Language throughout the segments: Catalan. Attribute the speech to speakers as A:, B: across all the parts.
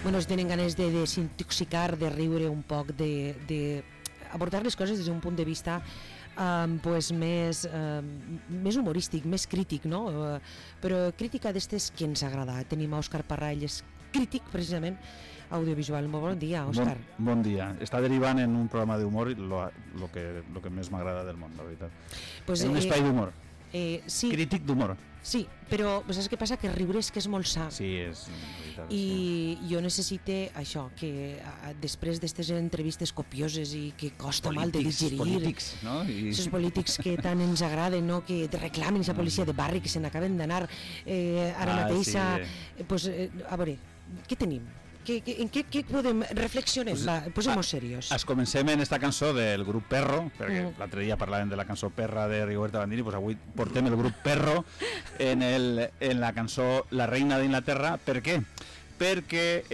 A: bueno, si tenen ganes de desintoxicar, de riure un poc, de abordar les coses des d'un punt de vista pues més humorístic, més crític, no? Però crítica d'estes que ens agrada. Tenim a Òscar Parra, ell és crític precisament audiovisual. Molt bon dia, Òscar.
B: Bon dia. Està derivant en un programa d'humor lo que més m'agrada del món, la veritat.
A: Pues,
B: un espai d'humor.
A: Sí.
B: Crític d'humor.
A: Sí, però saps què passa? Que riure és que és molt sa.
B: Sí, és veritat.
A: I jo necessite això, que després d'aquestes entrevistes copioses i que costa mal de digerir,
B: polítics, no?
A: Aquests polítics que tant ens agraden, no? Que reclamen aquesta policia de barri, que se n'acaben d'anar ara mateix
B: sí.
A: Pues, a veure, què tenim? En què podem reflexionar? Posem-nos serios.
B: Comencem en esta cançó del grup Perro, perquè l'altre dia parlàvem de la cançó Perra de Rigoberta Bandini, pues avui portem el grup Perro en la cançó La reina d'Inglaterra. Per què? Perquè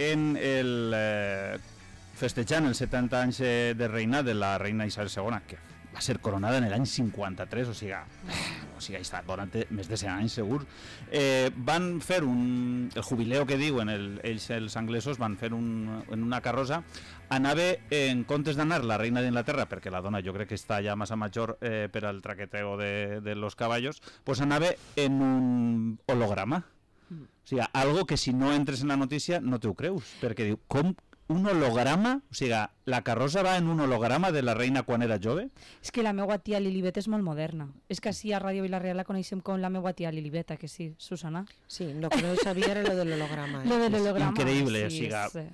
B: festejant els 70 anys de reina de la reina Isabel II, que va ser coronada en l'any 53, o sigui, està durant més de 100 anys segur, van fer el jubileu que diuen ells els anglesos, van fer en una carrossa, anava, en comptes d'anar la reina d'Inglaterra, perquè la dona jo crec que està ja massa major per al traqueteo de los caballos, pues anava en un holograma. O sigui, algo que si no entres en la notícia no t'ho creus, perquè diu, com un holograma? O sigui, la carrossa va en un holograma de la reina quan era jove?
C: És que la meva tia Lilibet és molt moderna. És que així a Ràdio Vila-real la coneixem com la meva tia Lilibet, que sí, Susana?
A: Sí, lo que no sabia era lo de l'holograma.
C: Lo de l'holograma.
B: Increïble,
C: sí,
B: o sigui,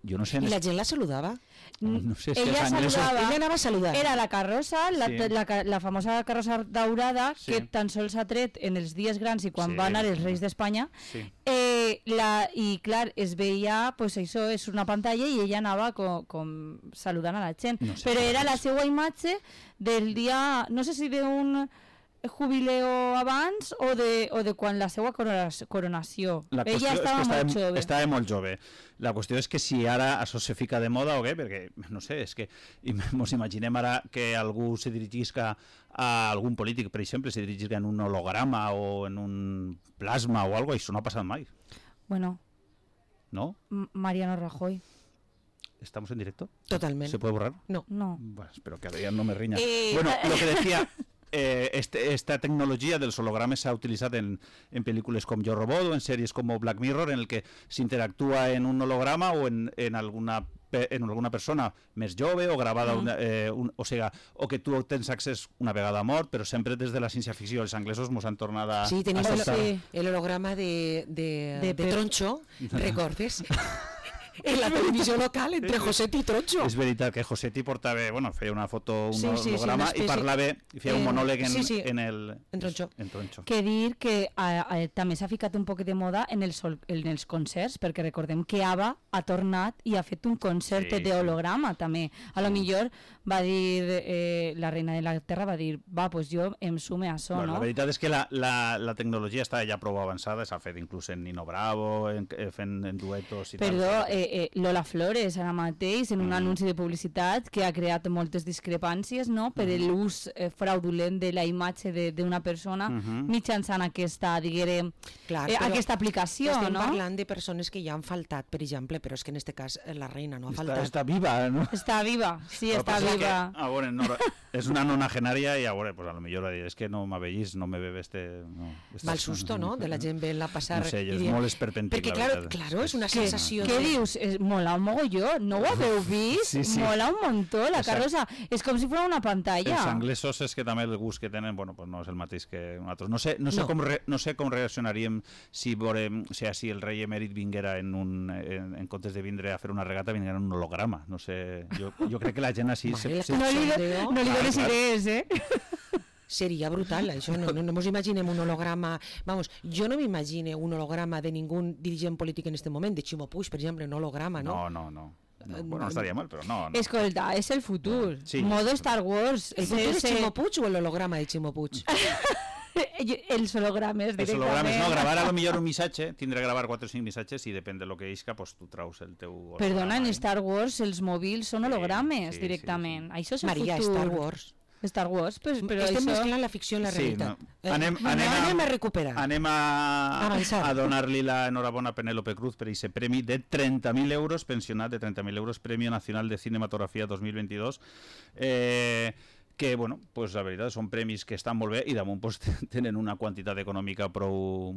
B: jo no sé...
A: I la gent la saludava?
B: No sé si
C: ella saludava,
A: ella anava a saludar.
C: Era la carrossa, la famosa carrossa daurada,
B: sí,
C: que tan sols s'ha tret en els dies grans i quan van anar els reis d'Espanya,
B: sí.
C: I clar, es veia, pues això és una pantalla i ella anava com saludant a la gent, no sé, però era la seva imatge del dia, no sé si d'un jubileo abans o de quan la seva coronació. Ella estava molt jove.
B: Estava molt jove. La qüestió és que si ara això se fica de moda o què, perquè, no sé, és que ens imaginem ara que algú se dirigisca a algun polític, per exemple, se dirigisca en un holograma o en un plasma o algo, i això no ha passat mai.
C: Bueno.
B: ¿No?
C: Mariano Rajoy.
B: ¿Estamos en directo?
A: Totalmente.
B: ¿Se puede borrar?
C: No.
B: Bueno, espero que Adrián no me riña. Bueno, lo que decía... esta tecnología de los hologramas se ha utilizado en películas como Yo Robot o en series como Black Mirror, en el que se interactúa en un holograma o en alguna persona més jove o gravada o que tu tens accés una vegada mort, però sempre des de la ciència-ficció. Els anglesos mos han tornat a...
A: Sí, tenim el holograma de Troncho, recordes? En la televisió local, entre Josetti i Troncho.
B: És veritat que Josetti portava, feia una foto, un holograma, i parlava, i feia un monòleg en Troncho.
C: Que dir que també s'ha ficat un poc de moda en els concerts, perquè recordem que ABBA ha tornat i ha fet un concert de holograma també. A lo millor va dir, la reina d'Anglaterra va dir, pues jo em sume a això, no?
B: La veritat és que la tecnologia està ja prou avançada, s'ha fet inclús en Nino Bravo, fent duetos i tal.
C: Perdó, Lola Flores ara mateix en un anunci de publicitat que ha creat moltes discrepàncies, no?, per l'ús fraudulent de la imatge d'una persona mitjançant aquesta, diguem, aquesta aplicació, no?
A: Estem parlant de persones que ja han faltat, per exemple, però és que en aquest cas la reina no ha faltat.
B: Està viva, no?
C: Està viva, sí, està viva.
B: A veure, és una nonagenària i a veure, pues a lo millor va dir, és que no m'avellis, no me bebe
A: mal susto, no?, de la gent ve-la passar.
B: No sé, és molt esperpèntic, la veritat.
A: Perquè, clar, és una sensació...
C: Què dius? Mola un mogolló, no ho haveu vist?
B: Sí.
C: Mola un montó, la carrossa. És com si fos una pantalla.
B: Els anglesos és que també el gust que tenen, pues no és el mateix que nosaltres. No sé com reaccionaríem si el rei emèrit vinguera en comptes de vindre a fer una regata, vinguera en un holograma. No sé, jo crec que la gent així...
C: No li dones idees,
A: Seria brutal, això, no ens imaginem un holograma, jo no m'imagine un holograma de ningú dirigent polític en aquest moment, de Ximo Puig, per exemple, un holograma, no?
B: No. Bueno, no estaria mal, però no.
C: Escolta, és el futur, modo Star Wars.
A: El futur és Ximo Puig o l'holograma de Ximo Puig?
C: Els hologrames, directament. Els hologrames,
B: no, gravar a lo millor un missatge, tindre que gravar 4 o 5 missatges i depèn de lo que isca, pues tu traus el teu holograma.
C: Perdona, en Star Wars els mòbils són hologrames directament. Això és el futur.
A: Maria, Star Wars.
C: Star Wars, però
A: Estem
C: això...
A: mesclant la ficció i la realitat.
B: No.
A: Anem a recuperar.
B: Anem a donar-li l'enhorabona a Penélope Cruz per aquest premi de 30.000 euros, pensionat de 30.000 euros, Premio Nacional de Cinematografia 2022, que, bueno, pues la veritat són premis que estan molt bé i damunt pues, tenen una quantitat econòmica prou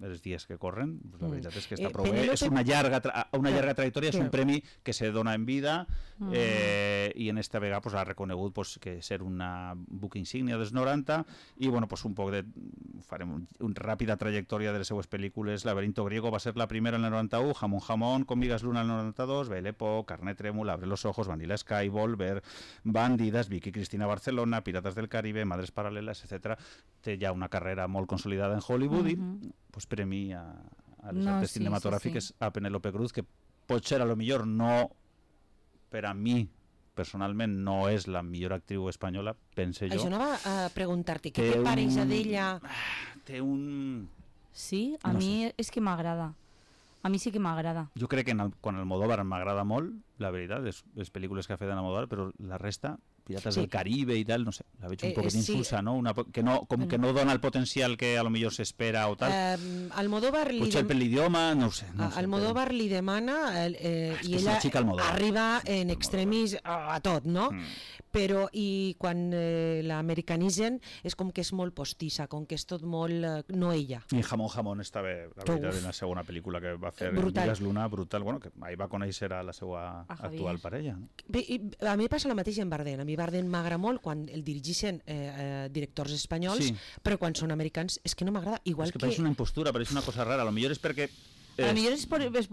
B: els dies que corren, pues la veritat és que està prou bé. És una llarga trajectòria, és un premi que se dona en vida i en esta vegada pues, ha reconegut pues, que ser una buc insígnia dels 90 i bueno, pues, un poc de... farem una ràpida trajectòria de les seues pel·lícules. Laberinto Griego va ser la primera en el 91, Jamón Jamón, Con Migas Luna en el 92, Baile Po, Carne Trémula, Abre los Ojos, Vanilla Sky, Volver, Bandidas, Vicky Cristina Barcelona, Piratas del Caribe, Madres Paral·leles, etc. Té ja una carrera molt consolidada en Hollywood i pues, premi a les arts cinematogràfiques a Penélope Cruz, que potser a lo millor no, per a mi personalment no és la millor actriu espanyola, pense jo.
A: Això anava a preguntar-te, què te pareix d'ella?
B: Té un...
C: Sí, a mi és que m'agrada. A mi sí que m'agrada.
B: Jo crec que quan Almodóvar m'agrada molt, la veritat, les pel·lícules que ha fet en Almodóvar, però la resta, Pirates del Caribe i tal, no sé, la veig un poquet insulsa, no? Que no dona el potencial que a lo millor s'espera o tal.
A: Almodóvar
B: potser per l'idioma, no ho sé.
A: Almodóvar li demana i ella arriba en extremis a tot, no? Però i quan l'americanitzen és com que és molt postissa, com que és tot molt no ella.
B: I Jamón Jamón està bé, la veritat, en la segona pel·lícula que va fer Migas Luna, brutal, bueno, que ahir va conèixer a la seva actual parella.
A: Bé, a mi passa el mateix en Bardem. A mi Bardem m'agrada molt quan el dirigeixen directors espanyols, però quan són americans és que no m'agrada.
B: És que pareix una impostura, pareix una cosa rara. A lo millor és perquè...
C: A lo millor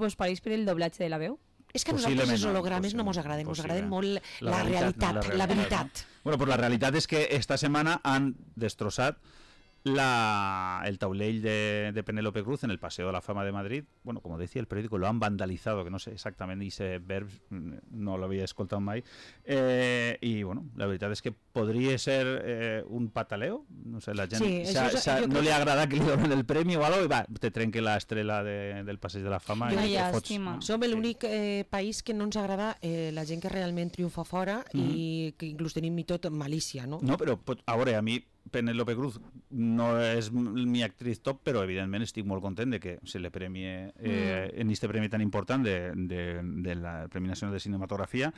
C: vos pareix per el doblatge de la veu?
A: És que a nosaltres els hologrames no mos agraden molt la realitat, la veritat.
B: Bueno, pues la realitat és que esta setmana han destrossat el taulell de Penélope Cruz en el Paseo de la Fama de Madrid. Bueno, como decía el periódico, lo han vandalizado, que no sé exactament ese verb, no l'havia escoltat mai. I, bueno, la veritat és que podria ser un pataleo. No sé, la gent no li agrada que li donen el premi o algo i va, te trenque l'estrela del Passeig de la Fama.
A: Som l'únic país que no ens agrada la gent que realment triomfa fora i que inclús tenim i tot malícia, no?
B: No, però a veure, a mi Penélope Cruz no és mi actriz top, però evidentment estic molt content de que se le premie en este premi tan important de la Premi Nacional de Cinematografia.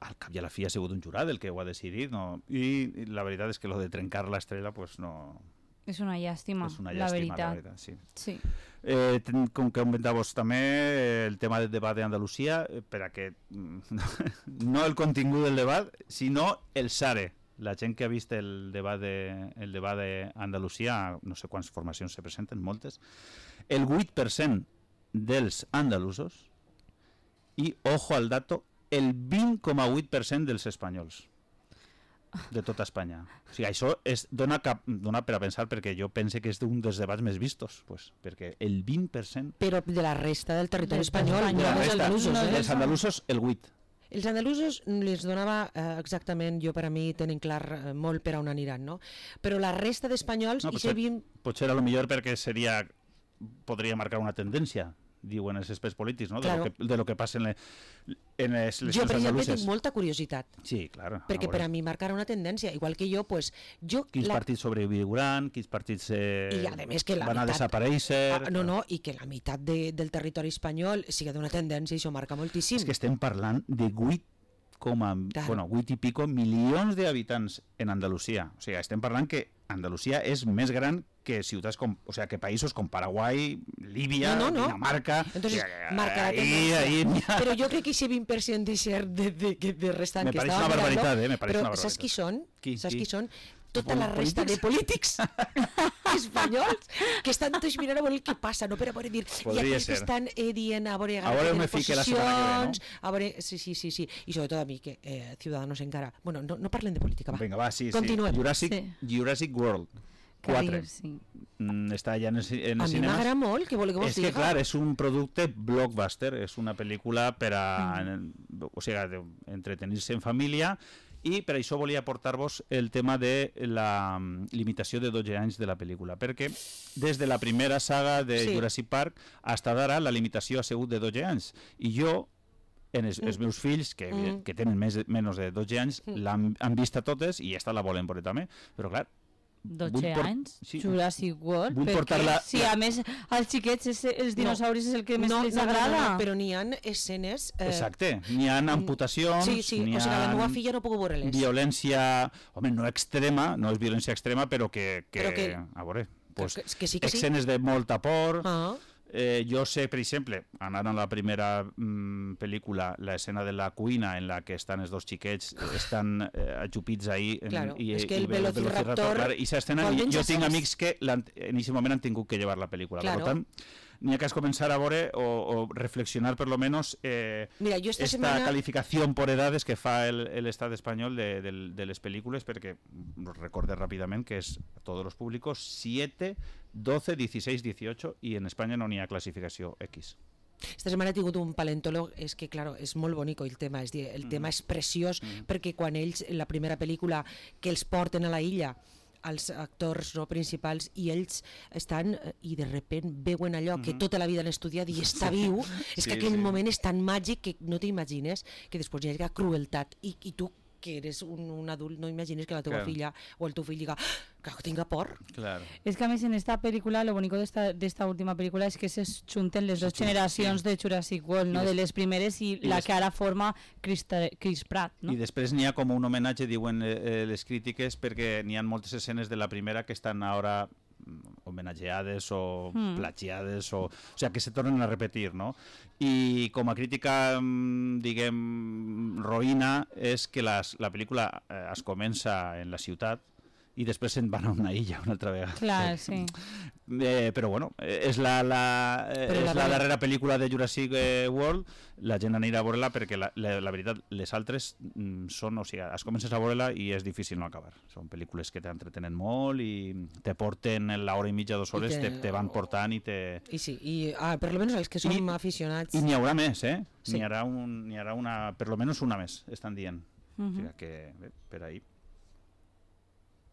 B: Al cap i a la fi ha sigut un jurat el que ho ha decidit, no? I la veritat és que lo de trencar l'estrela pues no...
C: És una llàstima, la veritat.
B: Sí. Com que comentàvos també el tema del debat d'Andalusia, per a que no el contingut del debat, sinó el SARE. La gent que ha vist el debat d'Andalusia, no sé quantes formacions se presenten, moltes, el 8% dels andalusos i, ojo al dato, el 20,8% dels espanyols de tota Espanya. O sigui, això dona per a pensar, perquè jo pense que és un dels debats més vistos, pues, perquè el 20%...
A: Però de la resta del territori espanyol,
B: dels andalusos, el 8%.
A: Els andalusos les donava exactament, jo per a mi tenen clar molt per a on aniran, no? Però la resta d'espanyols...
B: Potser a lo millor perquè podria marcar una tendència, diuen els experts polítics, no? De lo que passa en les eleccions andaluses.
A: Jo, per exemple, tinc molta curiositat.
B: Sí, clar.
A: Perquè per a mi marcarà una tendència, igual que jo, pues...
B: Quins partits sobreviuran, quins partits van a desaparèixer...
A: No, i que la meitat del territori espanyol sigui d'una tendència, això marca moltíssim.
B: És que estem parlant de 8 i pico milions d'habitants en Andalusia. O sigui, estem parlant que Andalusia és més gran que ciutats que països com Paraguai, Líbia, Dinamarca...
A: Entonces, marca la tendència. Però jo crec que aquest 20% de restant que estava mirant... Però saps qui són? Saps qui són? Tota la resta de polítics espanyols que estan tots mirant a veure el que passa, no per a veure dir, i aquells que estan dient a veure posicions, a veure, sí, i sobretot a mi, que Ciudadanos encara, bueno, no parlen de política, va.
B: Vinga, va, sí.
A: Continuem.
B: Jurassic World 4. Està ja en els cinemes.
A: A mi m'agrada molt, què voleu que vos diga?
B: És que, clar, és un producte blockbuster, és una pel·lícula per a entretenir-se en família. I per això volia portar-vos el tema de la limitació de 12 anys de la pel·lícula, perquè des de la primera saga de Jurassic Park fins d'ara la limitació ha sigut de 12 anys. I jo els meus fills, que tenen menys de 12 anys, han vist a totes i esta la volen veure també, però clar,
C: 12 anys, Jurassic World, perquè si a més als xiquets els dinosauris és el que més els agrada.
A: No, però n'hi ha escenes...
B: Exacte, n'hi ha amputacions,
A: o sigui, la meva filla no puc veure-les.
B: Violència, home, no extrema, no és violència extrema, però que a veure, pues, escenes de molta por... jo sé, per exemple, anant a la primera pel·lícula, l'escena de la cuina en la que estan els dos xiquets, estan ajupits ahí
A: i el velociraptor
B: i s'escena, jo tinc amics que en aquest moment han tingut que llevar la pel·lícula, per tant n'hi ha que començar a veure o reflexionar per lo menos esta calificación por edades que fa el Estat espanyol de les pel·lícules, perquè recordé ràpidament que és a tots els públicos 7, 12, 16, 18 i en Espanya no n'hi ha classificació X.
A: Esta setmana he tingut un paleontòleg, és que claro, és molt bonic el tema, és dir, el tema és preciós perquè quan ells, en la primera pel·lícula que els porten a la illa, els actors no principals, i ells estan i de repent veuen allò que tota la vida han estudiat i està viu, és que aquell moment és tan màgic que no t'imagines que després hi ha crueltat i tu que eres un adult no imagines que la teva filla o el teu fill diga que tinga por.
B: Claro.
C: Es que a més en esta película, lo bonito de esta última película es que se junten les dos generacions de Jurassic World, no? De les primeres i la que ara forma Chris Pratt, no?
B: I després n'hi ha com un homenatge, diuen les crítiques, perquè n'hi ha moltes escenes de la primera que estan ara homenatgeades o plagiades o sea, que se tornen a repetir, no? I com a crítica, diguem, roïna és que la pel·lícula es comença en la ciutat i després se'n van a una illa una altra vegada.
C: Clar, sí.
B: Però bueno, és la darrera pel·lícula de Jurassic World, la gent anirà a veure-la perquè la veritat, les altres són, o sigui, es comences a veure-la i és difícil no acabar. Són pel·lícules que t'entretenen molt i te porten l'hora i mitja, 2 hores, te van portant i te...
A: I sí, per lo menos els que som aficionats...
B: I n'hi haurà més, sí. N'hi haurà una, per lo menos una més, estan dient. O sigui que, per ahí.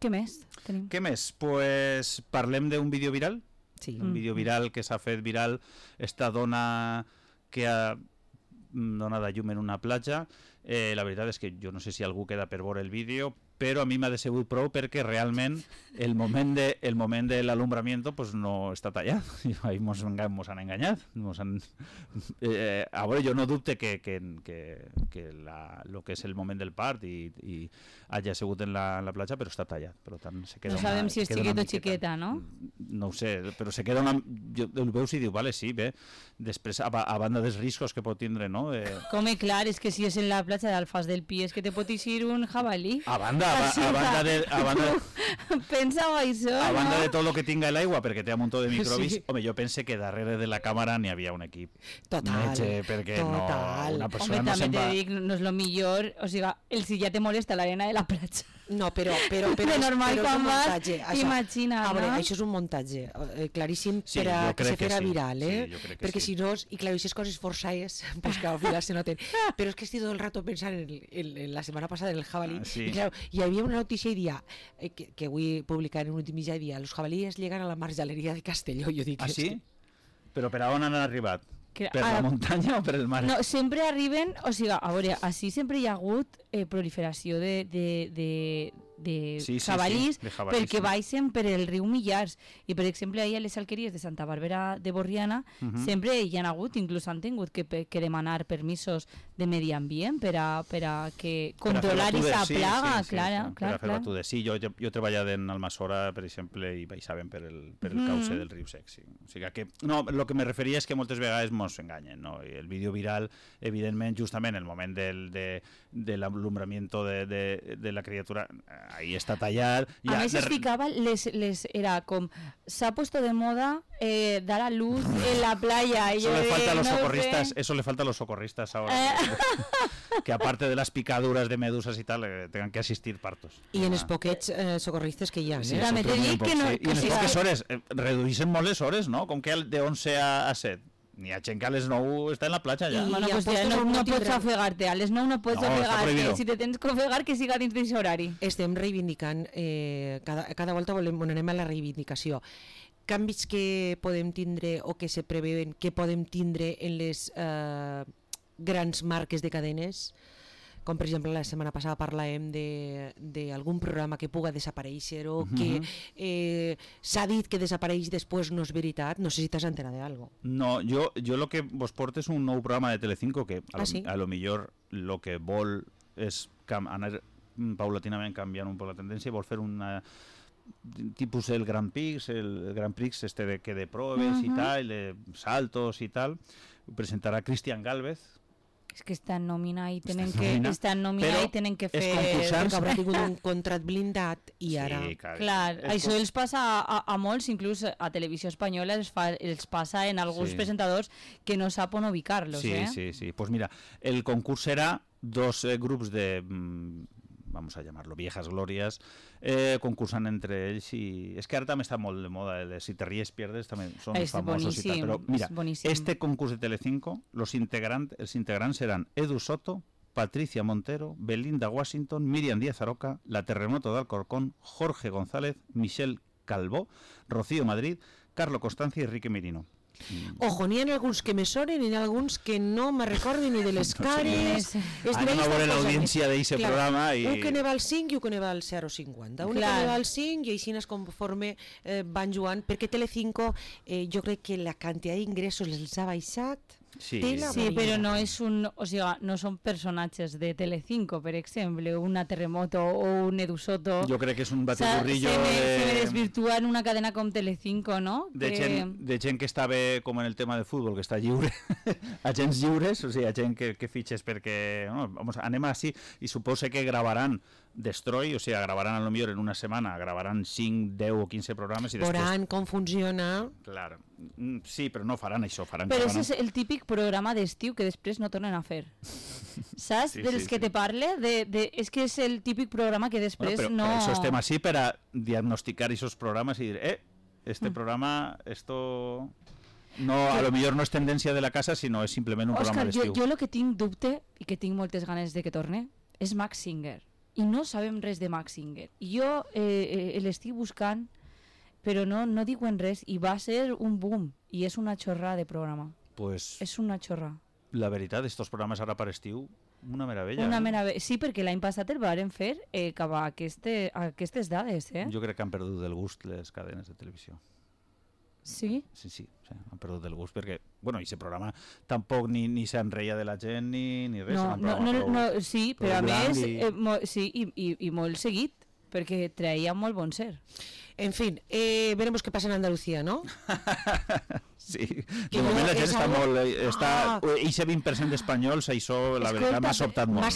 C: Què més tenim?
B: Què més? Pues parlem d'un vídeo viral.
A: Sí.
B: Un vídeo viral que s'ha fet viral, esta dona que ha donat a llum en una platja. La veritat és que jo no sé si algú queda per veure el vídeo, però a mi m'ha decebut prou perquè realment el moment de l'alumbramiento pues no està tallat. I ahí mos han enganyat. A veure, jo no dubte que lo que és el moment del part i hagi sigut en la platja, però està tallat. Per tant, se queda
C: no sabem si és xiquet o xiqueta, no?
B: No ho sé, però se queda una... Jo el veus i diu, vale, sí, bé. Després, a banda dels riscos que pot tindre, no?
C: Com clar, és que si és en la platja d'Alfàs del Pi és que te pot eixir un jabalí.
B: A banda
C: Pensava això,
B: a banda de tot el que tinga l'aigua, perquè té un muntó de microbis, home, jo pense que darrere de la càmera n'hi havia un equip metge, perquè una persona
C: home,
B: no
C: també te dic, no és lo millor, o sigui, si ja te molesta l'arena de la platja.
A: No, però
C: de normal quan vas, imagina,
A: no? Això és un muntatge claríssim per a que se fera viral, perquè si no, i clar, aquestes coses forçades, pues que al final se noten, però és que estic tot el rato pensant en la setmana passada en el jabalí, i clar, hi havia una notícia i dia, que avui publicar en un últim mitjà, i dia, los jabalíes llegan a la marjaleria de Castelló, jo dic...
B: Ah, sí? Però per on han arribat? Per la muntanya o per el mar?
C: No, sempre arriben, o sigui, a veure, així sempre hi ha hagut proliferació de jabalís, perquè baixen per el riu Millars, i per exemple ahir a les alqueries de Santa Bàrbara de Borriana sempre hi ha hagut, inclús han tingut que demanar permisos de medi ambient per a que controlar aquesta plaga, clar.
B: Per a fer batudes. Sí, jo he treballat en Almassora, per exemple, i baixaven per el cauce del riu Sec. O sigui que, no, el que me referia és que moltes vegades mos enganyen, no? I el vídeo viral, evidentment, justament el moment de l'alumbramiento de la criatura, ahí está tallat.
C: A més es ficava, era com, s'ha puesto de moda dar a luz en la playa.
B: Eso le falta a los socorristas ahora. Que aparte de las picaduras de medusas y tal, tengan que asistir partos.
A: I en els poquets socorristes que hi ha.
B: Sí, també t'he dit que no... I en les poques hores, reduïssin molt les hores, no? Com que de 11 a 7. Ni a gent que a les 9 està en la platja ja.
C: Bueno, pues ja no pots ofegar-te, a les 9 no pots ofegar-te, si te tens que ofegar que siga dins d'aquest horari.
A: Estem reivindicant, cada volta anem a la reivindicació. Canvis que podem tindre o que se preveuen que podem tindre en les grans marques de cadenes, com per exemple la setmana passada parlàvem d'algun programa que puga desaparèixer o que s'ha dit que desapareix després no és veritat. No sé si t'has enterat d'algo.
B: No, jo lo que vos porto és un nou programa de Telecinco que a lo millor lo que vol és anar paulatinament canviant un poc la tendència i vol fer una tipus el Grand Prix de proves y tal, de saltos y tal. Presentarà Cristian Gálvez.
C: És que estan nominats i tenen que fer...
A: Perquè haurà tingut un contrat blindat i ara...
B: Sí,
C: clar, això els passa a molts, inclús a Televisió Espanyola els passa en alguns presentadors que no sap on ubicar-los.
B: Sí. Pues mira, el concurs serà dos grups de... vamos a llamarlo viejas glorias, concursan entre ells i... És que ara també està molt de moda, si te ries pierdes també són famosos i tal, però mira, este concurs de Telecinco, els integrants seran Edu Soto, Patricia Montero, Belinda Washington, Miriam Díaz Aroca, La Terremoto de Alcorcón, Jorge González, Michelle Calvó, Rocío Madrid, Carlo Constancia i Enrique Merino.
A: Ojo, n'hi ha alguns que me sonen i n'hi ha alguns que no me recorden ni de les cares.
B: Anem a veure l'audiència d'aquest programa.
A: Un que ne va al 5 i un que ne va al 0,50. Un que ne va al 5 i així conforme van jugant, perquè Telecinco jo crec que la quantitat d'ingressos els ha baixat.
C: Sí, però no és no són personatges de Telecinco, per exemple, una Terremoto o un Edu Soto.
B: Jo crec que és un batiburrillo
C: se me desvirtua en una cadena com Telecinco, no?
B: De gent que està bé com en el tema de futbol, que està lliure, agents lliures, o sigui, gent que fitxes perquè anem així, i suposa que gravaran Destroy, o sigui, gravaran a lo millor en una setmana, gravaran 5, 10 o 15 programes i després...
A: Veuran com funciona.
B: Clar, sí, però no faran això.
C: Però és el típic programa d'estiu que després no tornen a fer. Saps? Dels que te parle? És que és el típic programa que després no...
B: Però això estem així per a diagnosticar aquests programes i dir, este programa, esto... No, a lo millor no és tendència de la casa, sinó és simplement un programa d'estiu.
C: Jo el que tinc dubte, i que tinc moltes ganes de que torne, és Max Singer. I no sabem res de Max Singer. I jo l'estic buscant, però no diuen res, i va ser un boom, i és una xorrada de programa.
B: Pues
C: és una xorrada.
B: La veritat, estos programes ara per estiu, una meravella.
C: Sí, perquè l'any passat el varen fer cap a aquestes dades.
B: Jo crec que han perdut el gust les cadenes de televisió.
C: Sí?
B: Sí, han perdut el gust perquè, bueno, aquest programa tampoc ni s'enreia de la gent ni res.
C: Sí, però a més, i molt seguit, perquè traia molt bon ser.
A: En fin, veremos qué pasa en Andalucía, ¿no?
B: Sí, de moment la gent està molt... Eixe 20% d'espanyols, això, la veritat, m'ha sobtat molt.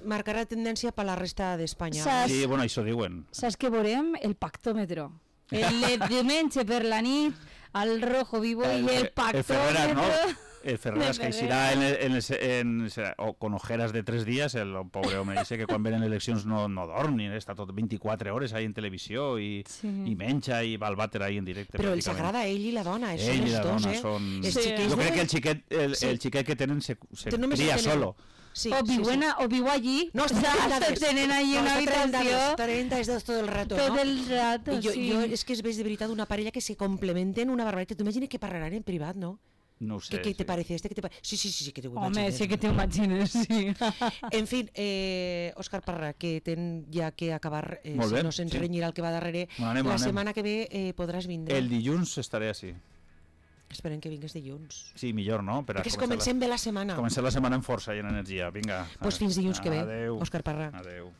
A: Marcarà tendència per la resta d'Espanya.
B: Sí, bueno, això diuen.
C: Saps que veurem el pactòmetre? El diumenge per la nit, el rojo vivo i el pactòmetre...
B: El Ferreras que eixirà con ojeras de 3 dies, el pobre home dice que quan venen eleccions no dorm, ni està tot 24 hores ahí en televisió i menja i va al vàter ahí en directe.
A: Però els agrada ell i la dona, són els dos,
B: Jo crec que el xiquet que tenen se cria solo.
C: Sí, o viu allí,
A: no,
C: tenen allí una habitació.
A: 30 és tot el rato, no?
C: Tot el rato, sí.
A: Jo és que es veig de veritat una parella que se complementen una barbaritat. Tu imagines que parlaran en privat, no?
B: No ho sé.
A: ¿Qué te parece este? Sí, que te ho
C: imagines. Home, sí que t'ho imagines, sí.
A: En fin, Òscar Parra, que ten ja que acabar, si no se'ns renyirà el que va darrere. La setmana que ve podràs vindre.
B: El dilluns estaré així.
A: Esperem que vingues dilluns.
B: Sí, millor, no?
A: Perquè comencem bé la setmana.
B: Comencem la setmana amb força i en energia. Vinga.
A: Doncs fins dilluns que ve, Òscar Parra.
B: Adéu.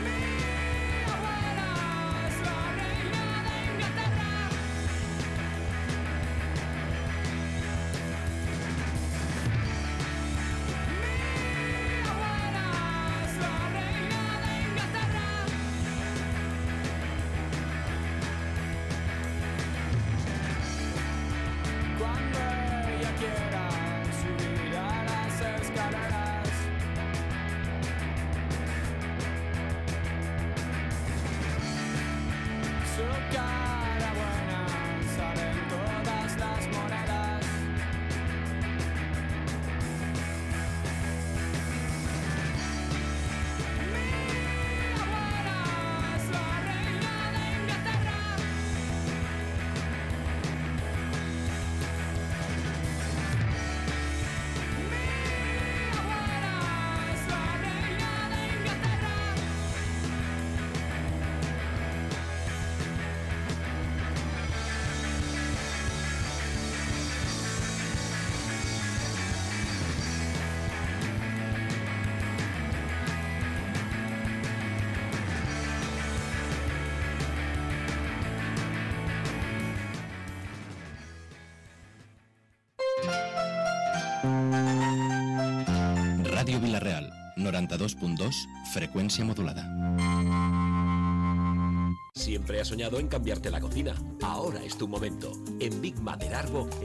D: Me Radio Villarreal, 92.2, frecuencia modulada.
E: Siempre has soñado en cambiarte la cocina. Ahora es tu momento. En Big Mater Arbo